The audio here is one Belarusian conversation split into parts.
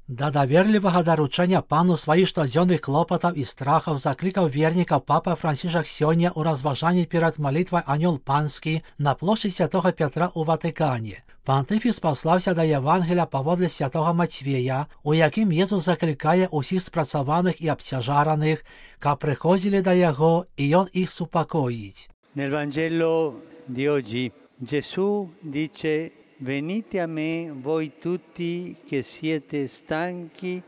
Да даверлівага даручэння Пану сваіх штодзённых клопатаў і страхаў заклікаў вернікаў папа Францішак сёння ў разважанні перад малітвай Анёл Панскі на плошчы святога Пятра ў Ватыкане. Пантыфіс паслаўся да Евангелія паводле святога Мацвея, у якім Езус заклікае ўсіх спрацаваных і абцяжараных, каб прыходзілі да яго, і ён іх супакоіць. Nel Vangelo di oggi Gesù dice: Venite a me voi tutti che siete stanchi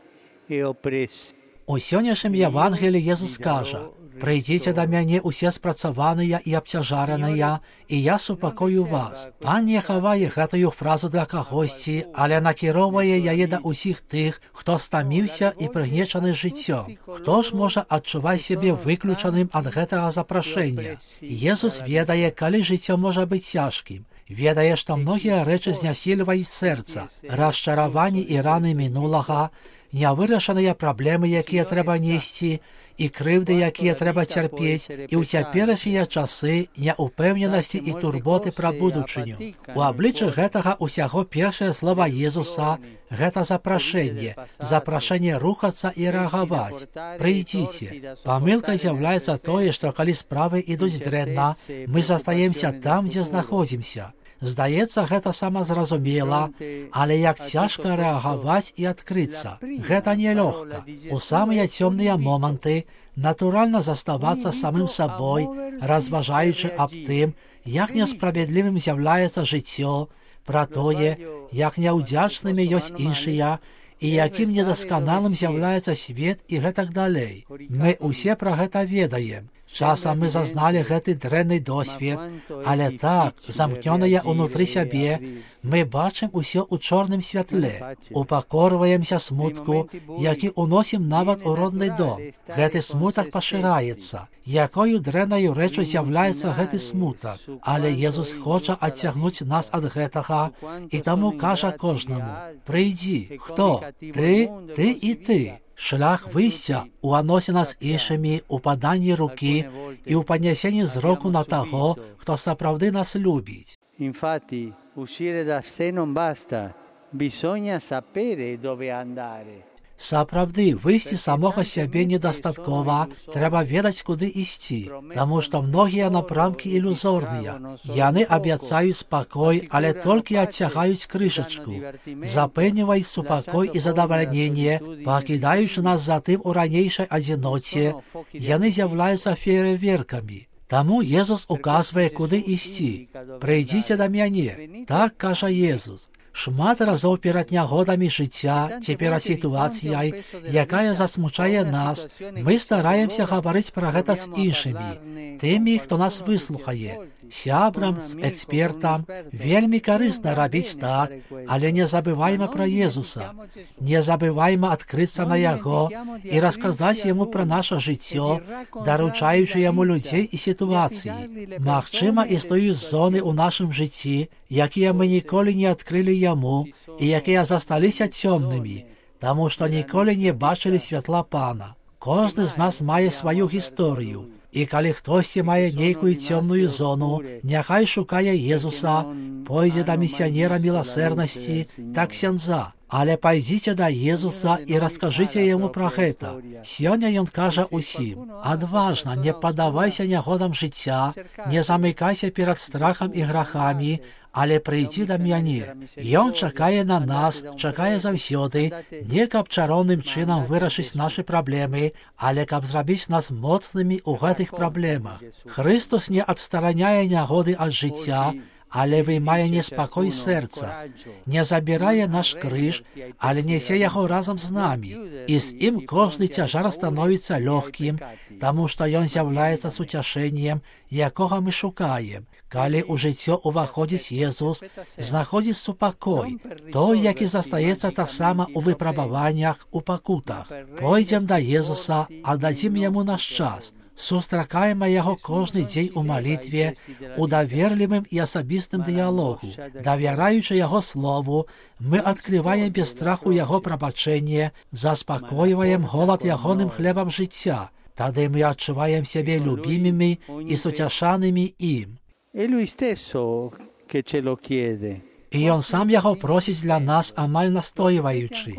e oppressi. У сённяшнім Евангелі Езус кажа: «Прыйдзіце да мяне усе спрацаваныя і абцяжараныя, і я супакою вас». Пан не хавае гэтую фразу для кагосьці, але накіроўвае яе да ўсіх тых, хто стаміўся і прыгнечаны жыццём. Хто ж можа адчуваць сябе выключаным ад гэтага запрашэння? Езус ведае, калі жыццё можа быць цяжкім. Ведае, што многія рэчы знясільваюць сэрца, расчараванні і раны мінулага, нявырашаныя праблемы, якія трэба несці, і крыўды, якія трэба цярпець, і ў цяперашнія часы няўпэўненасці і турботы пра будучыню. У абліччы гэтага ўсяго першае слова Езуса – гэта запрашэнне рухацца і рэагаваць. Прыйдзіце. Памылкай з'яўляецца тое, што калі справы ідуць дрэнна, мы застаемся там, дзе знаходзімся. Здаецца, гэта самазразумела, але як цяжка рэагаваць і адкрыцца. Гэта нелёгка. У самыя цёмныя моманты натуральна заставацца самым сабой, разважаючы аб тым, як несправядлівым з'яўляецца жыццё, пра тое, як няўдзячнымі ёсць іншыя, і якім недасканалым з'яўляецца свет і гэтак далей. Мы ўсе пра гэта ведаем. Часам мы зазналі гэты дрэнны досвед, але так, замкнёныя ўнутры сябе, мы бачым усё ў чорным святле, упакорваемся смутку, які уносім нават у родны дом. Гэты смутак пашыраецца. Якою дрэннаю рэчу з'яўляецца гэты смутак, але Езус хоча адцягнуць нас ад гэтага, і таму кажа кожнаму: «Прыйдзі». Хто? Ты і ты. Шлях выйсця ў адносінах з іншымі, у паданні рукі і ў паднясенні зроку на таго, хто сапраўды нас любіць. Infatti, uscire da sé non basta, bisogna sapere dove andare. Сапраўды, выйсці самога сябе недастаткова, трэба ведаць, куды ісці, таму што многія напрамкі ілюзорныя. Яны абяцаюць спакой, але толькі адцягаюць крышачку, запэўніваюць супакой і задавальненне, пакідаючы нас затым у ранейшай адзіноце, яны з'яўляюцца феерверкамі. Таму Езус указвае, куды ісці. «Прыйдзіце да мяне», так кажа Езус. Шмат разоў перад нягодамі жыцця ці перад сітуацыяй, якая засмучае нас, мы стараемся гаварыць пра гэта з іншымі, тымі, хто нас выслухае, сябрам, з экспертам. Вельмі карысна рабіць так, але не забывайма пра Езуса. Не забывайма адкрыцца на яго і расказаць яму пра наша жыццё, даручаючы яму людзей і сітуацыі. Магчыма, існуюць зоны ў нашым жыцці, якія мы ніколі не адкрылі яму і якія засталіся цёмнымі, таму што ніколі не бачылі святла Пана. Кожны з нас мае сваю гісторыю, і калі хтосьці мае нейкую цёмную зону, няхай шукае Езуса, пойдзе да місіянера міласэрнасці, да ксяндза. Але пайдзіце да Езуса і раскажыце яму пра гэта. Сёння ён кажа ўсім: адважна, не паддавайся нягодам жыцця, не замыкайся перад страхам і грахамі, але прыйдзі да мяне. Ён чакае на нас, чакае заўсёды, не каб чароўным чынам вырашыць нашы праблемы, але каб зрабіць нас моцнымі ў гэтых праблемах. Хрыстус не адстараняе нягоды ад жыцця, але вымае неспакой сэрца, не забірае наш крыж, але несе яго разам з намі, і з ім кожны цяжар становіцца лёгкім, таму што ён з'яўляецца суцяшэннем, якога мы шукаем. Калі ў жыццё ўваходзіць Езус, знаходзіць супакой, той, які застаецца таксама ў выпрабаваннях, у пакутах. Пойдзем да Езуса, аддадзім яму наш час, сустракаем яго кожны дзень у малітве, у даверлівым і асабістым дыялогу. Давяраючы яго слову, мы адкрываем без страху яго прабачэнне, заспакойваем голад ягоным хлебам жыцця. Тады мы адчуваем сябе любімымі і суцяшанымі ім. È lui stesso che ce lo chiede. І ён сам яго просіць для нас, амаль настойваючы.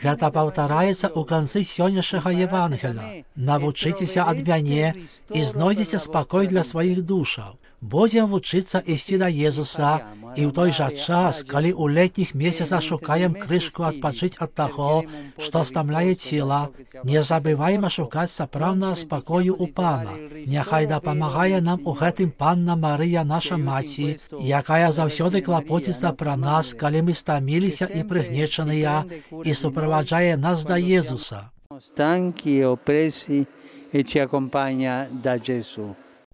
Гэта паўтараецца ў канцы сённяшняга Евангеля. Навучыцеся ад мяне і знойдзеце спакой для сваіх душаў. Будзем вучыцца ісці да Езуса, і ў той жа час, калі ў летніх месяцах шукаем крышку адпачыць ад таго, што стамляе цела, не забывайма шукаць сапраўднага спакою ў Пана. Няхай дапамагае нам у гэтым Панна Марыя, наша маці, якая заўсёды клапоціцца пра нас, калі мы стаміліся і прыгнечаныя, і суправаджае нас да Езуса.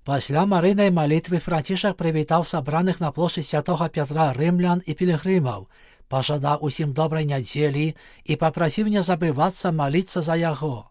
Пасля Марыйнай малітвы Францішак прывітаў сабраных на плошчы святога Пятра рымлян і пілігрымаў, пажадаў усім добрай нядзелі і папрасіў не забывацца маліцца за яго.